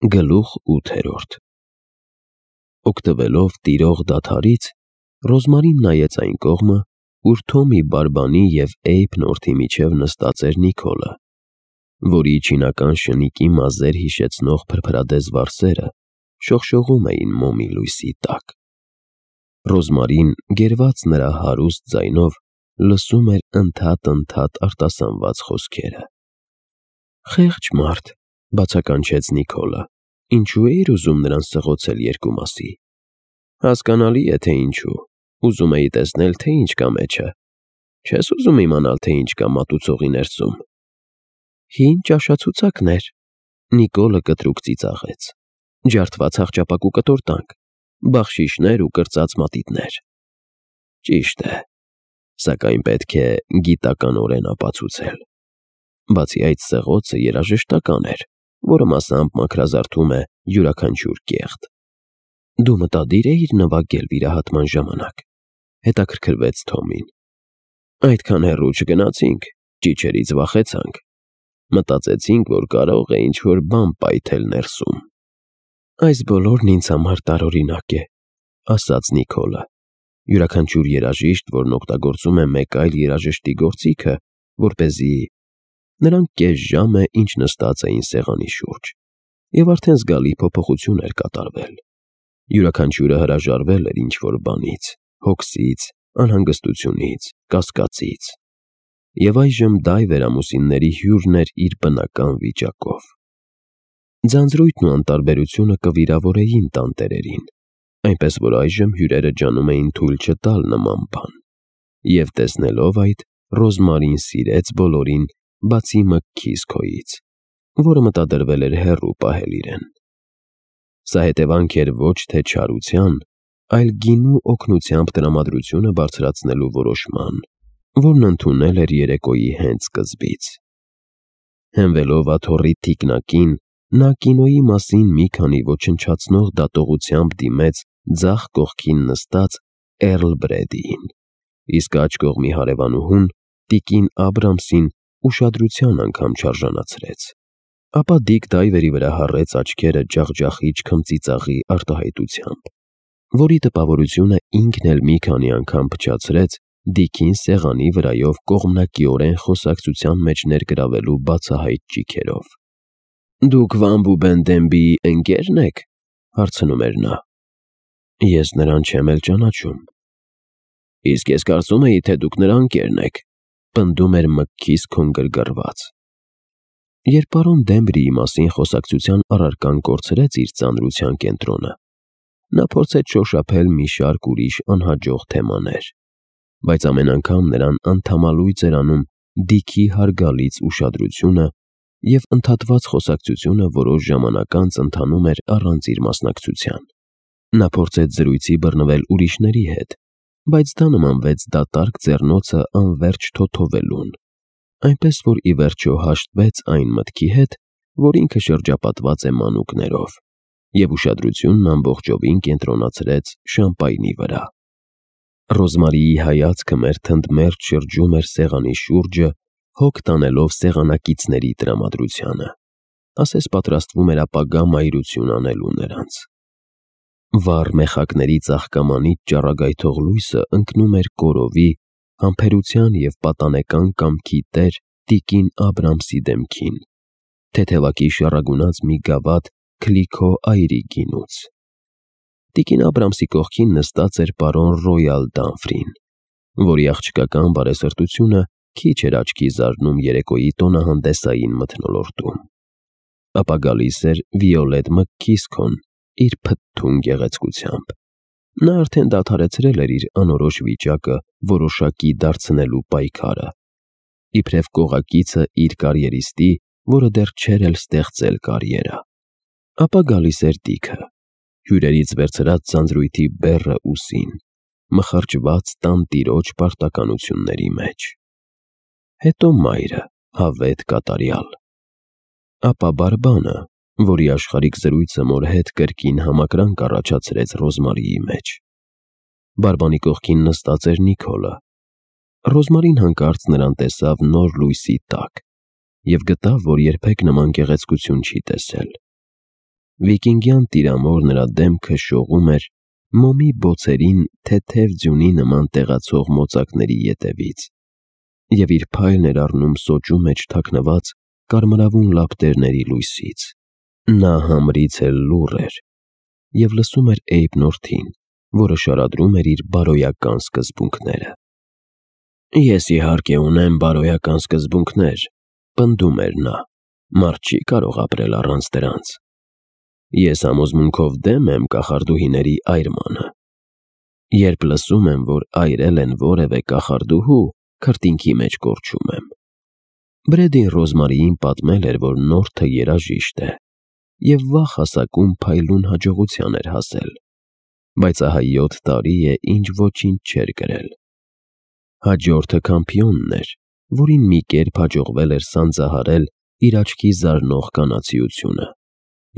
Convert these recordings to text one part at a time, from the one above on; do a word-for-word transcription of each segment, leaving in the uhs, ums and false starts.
Գլուխ ութերորդ Օգտվելով տիրող դադարից, Ռոզմարին նայեց այն կողմը, ուր Թոմի բարբանի և Էյբ նորթի միջև նստած էր Նիկոլը, որի չինական շնիկի մազեր հիշեցնող փրփրադես վարսերը շողշողում էին մոմի լույսի տակ։ Ռոզմարին, գերված նրա հարուստ ձայնով, լսում էր ընդհատ-ընդհատ արտասանված խոսքերը։ «Խեղճ մարդ», բացականչեց Նիկոլը, «ինչու էիր ուզում նրան սղոցել երկու մասի»։ «Հասկանալի է, թե ինչու, ուզում էի տեսնել, թե ինչ կա մեջը, չես ուզում իմանալ, թե ինչ կա մատուցողի ներսում»։ «Հին ճաշացուցակներ», Նիկոլը կտրուկ ծիծաղեց, «ջարդված աղջապակու կտորտանք, բաղշիշներ ու կրծած մատիտներ»։ «Ճիշտ է, սակայն պետք է գիտականորեն ապացուցել։ Բացի այդ, սղոցը երաժշտական էր, որը մասամբ մաքրազարդում է յուրաքանչյուր կեղտ»։ «Դու մտադիր էիր նվագել վիրահատման ժամանակ», հետաքրքրվեց Թոմին։ «Այդքան հեռու չգնացինք, ճիչերից վախեցանք, մտածեցինք, որ կարող է ինչ-որ բան պայթել ներսում»։ «Այս բոլորն ինձ համար տարօրինակ է», ասաց Նիկոլը։ Յուրաքանչյուր երաժիշտ, որն օգտագործում է մեկ այլ երաժշտի գործիքը, որպեսզի… Նրանք կես ժամ է, ինչ նստած էին սեղանի շուրջ, և արդեն զգալի փոփոխություն էր կատարվել։ Յուրաքանչյուրը հրաժարվել էր ինչ-որ բանից, հոգսից, անհանգստությունից, կասկածից։ Եվ այժմ դա վերամուսինների հյուրն էր իր բնական վիճակով։ Ձանձրույթն ու անտարբերությունը կվիրավորեին տանտերերին, այնպես որ այժմ հյուրերը ջանում էին թույլ չտալ նման բան։ Եվ տեսնելով այդ, Ռոզմարին սիրեց բոլորին, բացի Մքքիսքոյից, որը մտադրվել էր հեռու պահել իրեն։ Սա հետևանք էր ոչ թե չարության, այլ գինու օգնությամբ տրամադրությունը բարձրացնելու որոշման, որն ընդունել էր երեկոյի հենց սկզբից։ Հենվելով աթոռի թիկնակին, նա կինոյի մասին մի քանի ոչնչացնող դատողությամբ դիմեց ձախ կողքին նստած Էռլ Բրեդիին, իսկ աջ կողմի հարևանուհուն՝ տիկին Աբրամսին, ուշադրության անգամ չարժանացրեց, ապա Դիկ Դայվերի վրա հառեց աչքերը ջախջախիչ քմծիծաղի արտահայտությամբ, որի տպավորությունը ինքն էլ մի քանի անգամ փչացրեց Դիքին սեղանի վրայով կողմնակիորեն խոսակցության մեջ ներգրավելու բացահայտ ճիգերով։ «Դուք Վան Բուբենդենբիի ընկե՞րն եք», հարցնում էր նա։ «Ես նրան չեմ էլ ճանաչում»։ «Իսկ ես կարծում էի, թե դուք նրա ընկերն եք», պնդում էր Մքքիսքոն գրգռված։ Երբ պարոն Դեմբրիի մասին խոսակցության առարկան կորցրեց իր ծանրության կենտրոնը, նա փորձեց շոշափել մի շարք ուրիշ անհաջող թեմաներ, բայց ամեն անգամ նրան անդամալույծ էր անում Դիքի հարգալից ուշադրությունը, և ընդհատված խոսակցությունը որոշ ժամանակ անց ընթանում էր առանց իր մասնակցության։ Նա փորձեց զրույցի բռնվել ուրիշների հետ, բայց դա նմանվեց դատարկ ձեռնոցը անվերջ թոթովելուն, այնպես որ ի վերջո հաշտվեց այն մտքի հետ, որ ինքը շրջապատված է մանուկներով, և ուշադրությունն ամբողջովին կենտրոնացրեց շամպայնի վրա։ Ռոզմարիի հայացքը մերթընդմերթ շրջում էր սեղանի շուրջը, հոգ տանելով սեղանակիցների տրամադրությանը, ասես պատրաստվում էր ապագա մայրություն անելու նրանց։ Վառ մեխակների ծաղկամանիչ ճառագայթող լույսը ընկնում էր կորովի, համբերության և պատանեկան կամքի տեր տիկին Աբրամսի դեմքին, թեթևակի շառագունած մի գավաթ Քլիքո այրի գինուց։ Տիկին Աբրամսի կողքին նստած էր պարոն Ռոյալ Դանֆրին, որի աղջկական բարեսրտությունը քիչ էր աչքի զարնում երեկոյի տոնահանդեսային մթնոլորտում։ Ապա գալիս էր Վիոլետ Մքքիսքոն իր փթթուն գեղեցկությամբ։ Նա արդեն դադարեցրել էր իր անորոշ վիճակը որոշակի դարձնելու պայքարը, իբրև կողակիցը իր կարիերիստի, որը դեռ չէր էլ ստեղծել կարիերա։ Ապա գալիս էր Դիքը, հյուրերից վերցրած ձանձրույթի բեռը ուսին, մխրճված տանտիրոջ պարտականությունների մեջ։ Հետո մայրը, հավետ կատարյալ։ Ապա բարբանը, որի աշխարհիկ զրույցը մոր հետ կրկին համակրանք առաջացրեց Ռոզմարիի մեջ։ Բարբանի կողքին նստած էր Նիկոլը։ Ռոզմարին հանկարծ նրան տեսավ նոր լույսի տակ և գտավ, որ երբեք նման գեղեցկություն չի տեսել։ Վիկինգյան տիրամոր նրա դեմքը շողում էր մոմի բոցերին թեթև ձյունի նման տեղացող մոծակների ետևից, և իր փայլն էր առնում սոճու մեջ թաքնված կարմրավուն լապտերների լույսից։ Նա համրից էլ լուռ էր և լսում էր Էյբնորդին, որը շարադրում էր իր բարոյական սկզբունքները։ «Ես իհարկե ունեմ բարոյական սկզբունքներ», պնդում էր նա, «մարդ չի կարող ապրել առանց դրանց։ Ես համոզմունքով դեմ եմ կախարդուհիների այրմանը։ Երբ լսում եմ, որ այրել են որևէ կախարդուհու, քրտինքի մեջ կորչում եմ»։ Բրեդին Ռոզմարիին պատմել էր, որ նորթը երաժիշտ է և վաղ հասակում փայլուն հաջողության էր հասել, բայց ահա յոթ տարի է, ինչ ոչինչ չէր կրել։ Հաջորդը Քամփիոնն էր, որին մի կերպ հաջողվել էր սանձահարել իր աչքի զարնող կանացիությունը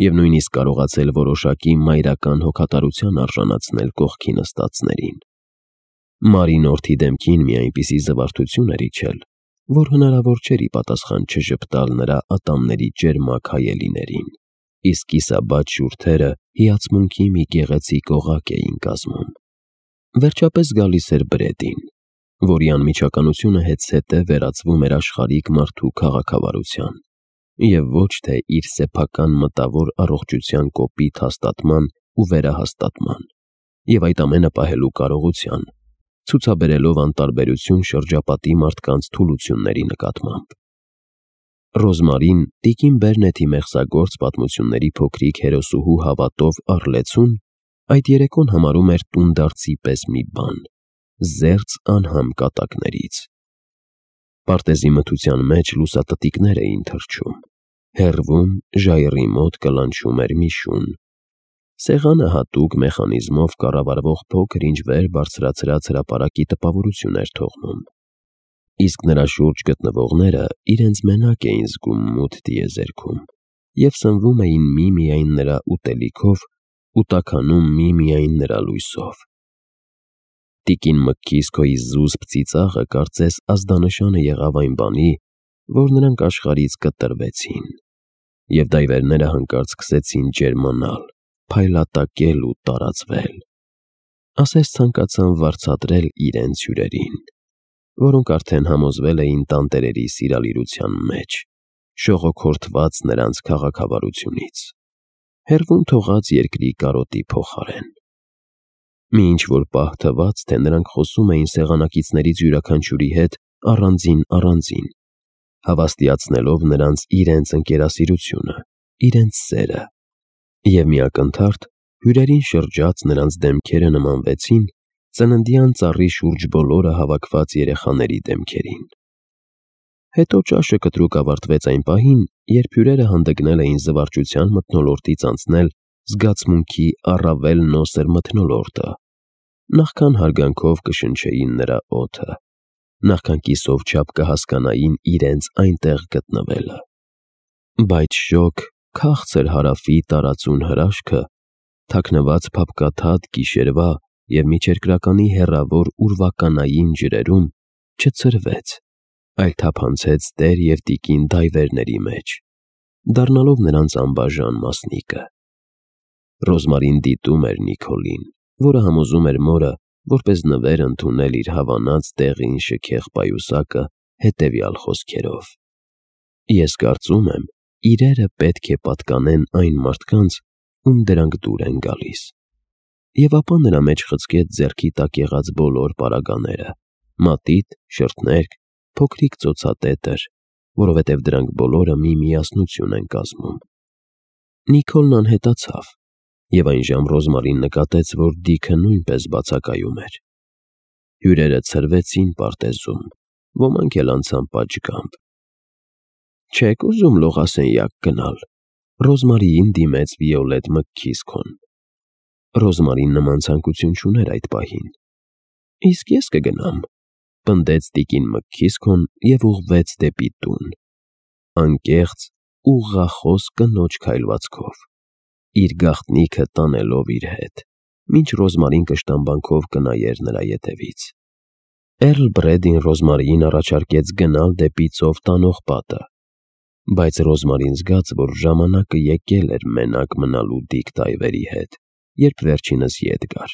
և նույնիսկ կարողացել որոշակի մայրական հոգատարության արժանացնել կողքի նստածներին։ Մարինորթի դեմքին մի այնպիսի զվարթություն էր իջել, որ հնարավոր չէր ի պատասխան չժպտալ նրա ատամների ճերմակ հայելիներին, իսկ կիսաբաց շուրթերը հիացմունքի մի գեղեցիկ օղակ էին կազմում։ Վերջապես գալիս էր Բրեդին, որի անմիջականությունը հետզհետե վերածվում էր աշխարհիկ մարդու քաղաքավարության և ոչ թե իր սեփական մտավոր առողջության կոպիտ հաստատման ու վերահաստատման, և այդ ամենը պահելու կարողության, ցուցաբերելով անտարբերություն շրջապատի մարդկանց թուլությունների նկատմամբ։ Ռոզմարին տիկին Բերնեթի մեղսագործ պատմությունների փոքրիկ հերոսուհու հավատով առլեցուն այդ երեկոն համարում էր տունդարձի պես մի բան, զերծ անհամ կատակներից։ Պարտեզի մթության մեջ լուսատտիկներ էին թռչում, հեռվում ժայռի մոտ կլանչում էր մի շուն։ Սեղանը հատուկ մեխանիզմով կառավարվող փոքր-ինչ վեր բարձրացրած հրապարակի տպավորություն էր թողնում, իսկ նրա շուրջ գտնվողները իրենց մենակ էին զգում մութ տիեզերքում և սնվում էին միմիայն նրա ուտելիքով ու տաքանում միմիայն նրա լույսով։ Տիկին Մքքիսքոյի զուսպ ծիծաղը կարծես ազդանշանը եղավ այն բանի, որ նրանք աշխարհից կտրվեցին, և դայվերները հանկարծ սկսեցին ջերմանալ, փայլատակել ու տարածվել։ Ասես ցանկացան վարձատրել իրենց հյուրերին, որոնք արդեն համոզվել էին տանտերերի սիրալիրության մեջ, շողոքորթված նրանց քաղաքավարությունից, հեռվում թողած երկրի կարոտի փոխարեն։ Մի ինչ-որ պահ թվաց, թե նրանք խոսում էին սեղանակիցներից յուրաքանչյուրի հետ առանձին-առանձին, հավաստիացնելով նրանց իրենց ընկերասիրությունը, իրենց սերը, և մի ակնթարթ հյուրերին շրջած նրանց դեմքերը նմանվեցին ծննդյան ծառի շուրջ բոլորը հավաքված երեխաների դեմքերին։ Հետո ճաշը կտրուկ ավարտվեց այն պահին, երբ հյուրերը հանդգնել էին զվարճության մթնոլորտից անցնել զգացմունքի առավել նոսր մթնոլորտը, նախքան հարգանքով կշնչեին նրա օդը, նախքան կիսով չափ կհասկանային իրենց այնտեղ գտնվելը։ Բայց շոգ, քաղցր հարավի տարածուն հրաշքը, թաքնված փափկաթաթ գիշերվա և միջերկրականի հեռավոր ուրվականային ջրերում չցրվեց, այլ թափանցեց տեր և տիկին դայվերների մեջ, դառնալով նրանց անբաժան մասնիկը։ Ռոզմարին դիտում էր Նիկոլին, որը համոզում էր մորը, որպես նվեր ընդունել իր հավանած դեղին շքեղ պայուսակը հետևյալ խոսքերով. «Ես կարծում եմ, իրերը պետք է պատկանեն այն մարդկանց, ում դրանք դուր են գալիս»։ Եվ ապա նրա մեջ խցկեց ձեռքի տակ եղած բոլոր պարագաները՝ մատիտ, շրթներկ, փոքրիկ ծոցատետր, որովհետև դրանք բոլորը մի միասնություն են կազմում։ Նիկոլն անհետացավ, և այնժամ Ռոզմարին նկատեց, որ Դիքը նույնպես բացակայում էր։ Հյուրերը ցրվեցին պարտեզում, ոմանք էլ անցան պատշգամբ։ «Չե՞ք ուզում լողասենյակ գնալ», Ռոզմարիին դիմեց Վիոլետ Մքքիսքոն։ Ռոզմարին նման ցանկություն չուներ այդ պահին։ «Իսկ ես կգնամ», պնդեց տիկին Մքքիսքոն և ուղղվեց դեպի տուն, անկեղծ, ուղղախոս կնոջ քայլվածքով, իր գաղտնիքը տանելով իր հետ, մինչ Ռոզմարին կշտամբանքով կնայեր նրա ետևից։ Էռլ Բրեդին Ռոզմարիին առաջարկեց գնալ դեպի ծով տանող պատը, բայց Ռոզմարին զգաց, որ ժամանակը եկել էր մենակ մնալու Դիկ Տայվերի հետ, երբ վերջինս ետ գար,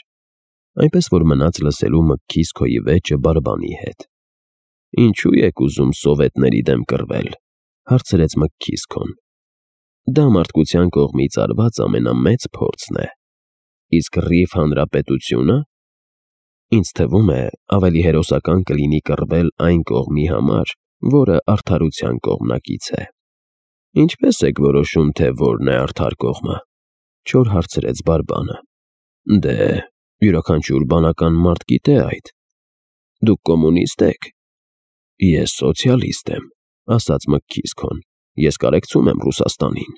այնպես որ մնաց լսելու Մքքիսքոյի վեճը Բարբանի հետ։ «Ինչու եք ուզում սովետների դեմ կռվել», հարցրեց Մքքիսքոն։ «Դա մարդկության կողմից արված ամենամեծ փորձն է, իսկ Ռիֆ Հանրապետությո՞ւնը։ Ինձ թվում է, ավելի հերոսական կլինի կռվել այն կողմի համար, որը արդարության կողմնակից է»։ «Ինչպե՞ս եք որոշում, թե որն է արդար կողմը», չոր հարցրեց Բարբանը։ «Դե, յուրաքանչյուր բանական մարդ գիտե այդ։ Դուք կոմունիստ եք»։ «Ես սոցիալիստ եմ», ասաց Մքքիսքոն։ «Ես կարեկցում եմ Ռուսաստանին»։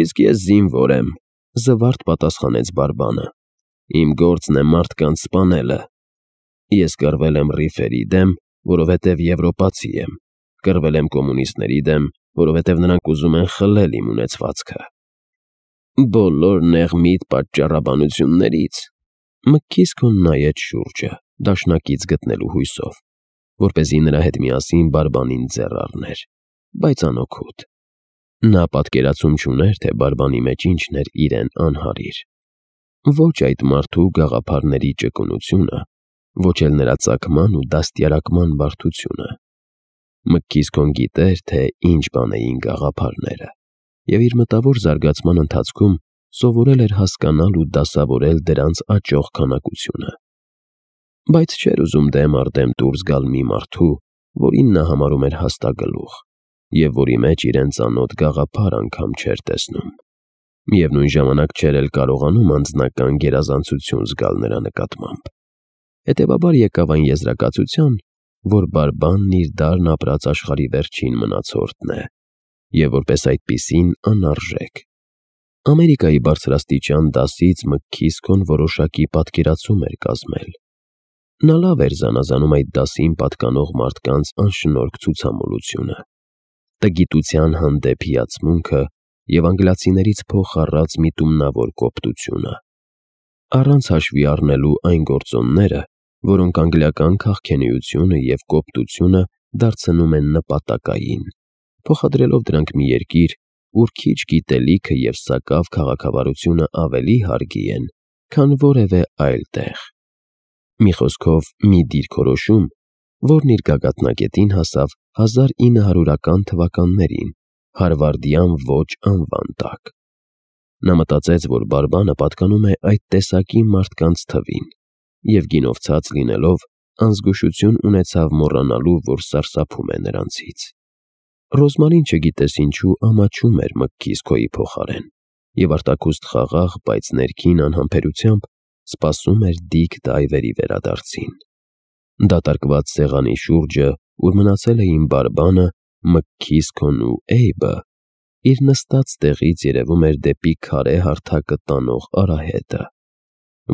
«Իսկ ես զինվոր եմ», զվարթ պատասխանեց Բարբանը։ «Իմ գործն է մարդկանց սպանելը։ Ես կռվել եմ ռիֆերի դեմ, որովհետև եվրոպացի եմ, կռվել եմ կոմունիստների դեմ, որովհետև նրանք ուզում են խլել իմ ունեցվածքը»։ «Բոլոր նեղմիտ պատճառաբանություններից», Մքքիսքոն նայեց շուրջը, դաշնակից գտնելու հույսով, որպեսզի նրա հետ միասին Բարբանին ձեռ առներ, բայց անօգուտ։ Նա պատկերացում չուներ, թե Բարբանի մեջ ինչն էր իրեն անհարիր։ Ոչ այդ մարդու գաղափարների ճկունությունը, ոչ էլ նրա ծագման ու դաստիարակման բարդությունը։ Մքքիսքոն գիտեր, թե ինչ բան էին գաղափարները, և իր մտավոր զարգացման ընթացքում սովորել էր հասկանալ ու դասավորել դրանց աճող քանակությունը։ Բայց չէր ուզում դեմ առ դեմ դուրս գալ մի մարդու, որին նա համարում էր հաստագլուխ, և որի մեջ իրեն ծանոթ գաղափար անգամ չէր տեսնում։ Միևնույն ժամանակ չէր էլ կարողանում անձնական գերազանցություն զգալ նրա նկատմամբ։ Հետևաբար եկավ այն եզրակացության, որ Բարբանն իր դարն ապրած աշխարհի վերջին մնացորդն է, և որպես այդպիսին անարժեք։ Ամերիկայի բարձրաստիճան դասից Մքքիսքոն որոշակի պատկերացում էր կազմել։ Նա լավ էր զանազանում այդ դասին պատկանող մարդկանց անշնորհք ցուցամոլությունը, տգիտության հանդեպ հիացմունքը և անգլիացիներից փող առած միտումնավոր կոպտությունը, առանց հաշվի առնելու այն գործոնները, որոնք անգլիական քաղքենիությունը և կոպտությունը դարձնում են նպատակային, փոխադրելով դրանք մի երկիր, ուր քիչ գիտելիքը և սակավ քաղաքավարությունը ավելի հարգի են, քան որևէ այլ տեղ։ Մի խոսքով, մի դիրքորոշում, որն իր գագաթնակետին հասավ հազար ինը հարյուրական թվականներին հարվարդյան ոչ անվան տակ։ Նա մտածեց, որ Բարբանը պատկանում է այդ տեսակի մարդկանց թվին, և գինովցած լինելով, անզգուշություն ունեցավ մոռանալու, որ սարսափում է նրանցից։ Ռոզմարին չգիտես ինչու ամաչում էր Մքքիսքոյի փոխարեն, և արտաքուստ խաղաղ, բայց ներքին անհամբերությամբ սպասում էր Դիկ Տայվերի վերադարձին։ Դատարկված սեղանի շուրջը, ուր մնացել էին Բարբանը, Մքքիսքոն ու Էյբը, իր նստած տեղից երևում էր դեպի քարե հարթակը տանող արահետը,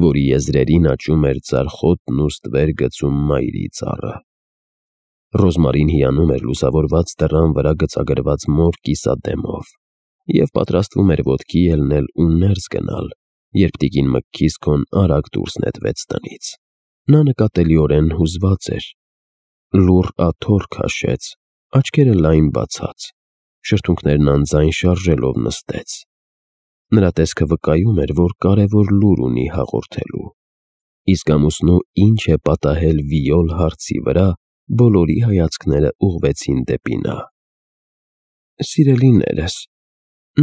որի եզրերին աճում էր ձարխոտն ու ստվեր գցում մայրի ծառը։ Ռոզմարին հիանում էր լուսավորված դռան վրա գծագրված մոր կիսադեմով և պատրաստվում էր ոտքի ելնել ու ներս գնալ, երբ տիկին Մքքիսքոն արագ դուրս նետվեց տնից։ Նա նկատելիորեն հուզված էր, լուռ աթոռ քաշեց, աչքերը լայն բացած, շրթունքներն անձայն շարժելով նստեց։ Նրա տեսքը վկայում էր, որ կարևոր լուր ունի հաղորդելու։ Իսկ ամուսնու ինչ է պատահել վիոլ հարցի վրա, բոլորի հայացքները ուղղվեցին դեպի նա։ «Սիրելիներս»,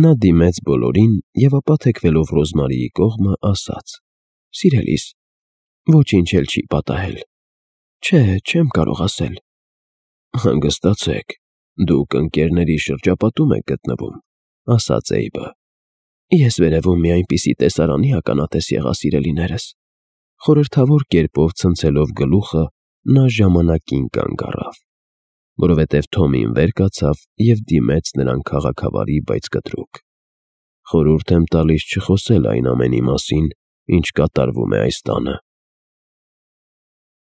նա դիմեց բոլորին և ապա թեքվելով Ռոզմարիի կողմը, ասաց. «Սիրելիս, ոչինչ էլ չի պատահել։ Չէ, չեմ կարող ասել»։ «Հանգստացեք, դուք ընկերների շրջապատում եք գտնվում», ասաց Էյբը։ «Ես վերևում մի այնպիսի տեսարանի ականատես եղա, սիրելիներս»։ Խորհրդավոր կերպով ցնցելով գլուխը, նա ժամանակին կանգ առավ, որովհետև Թոմին վեր կացավ և դիմեց նրան քաղաքավարի, բայց կտրուկ։ «Խորհուրդ եմ տալիս չխոսել այն ամենի մասին, ինչ կատարվում է այս տանը»,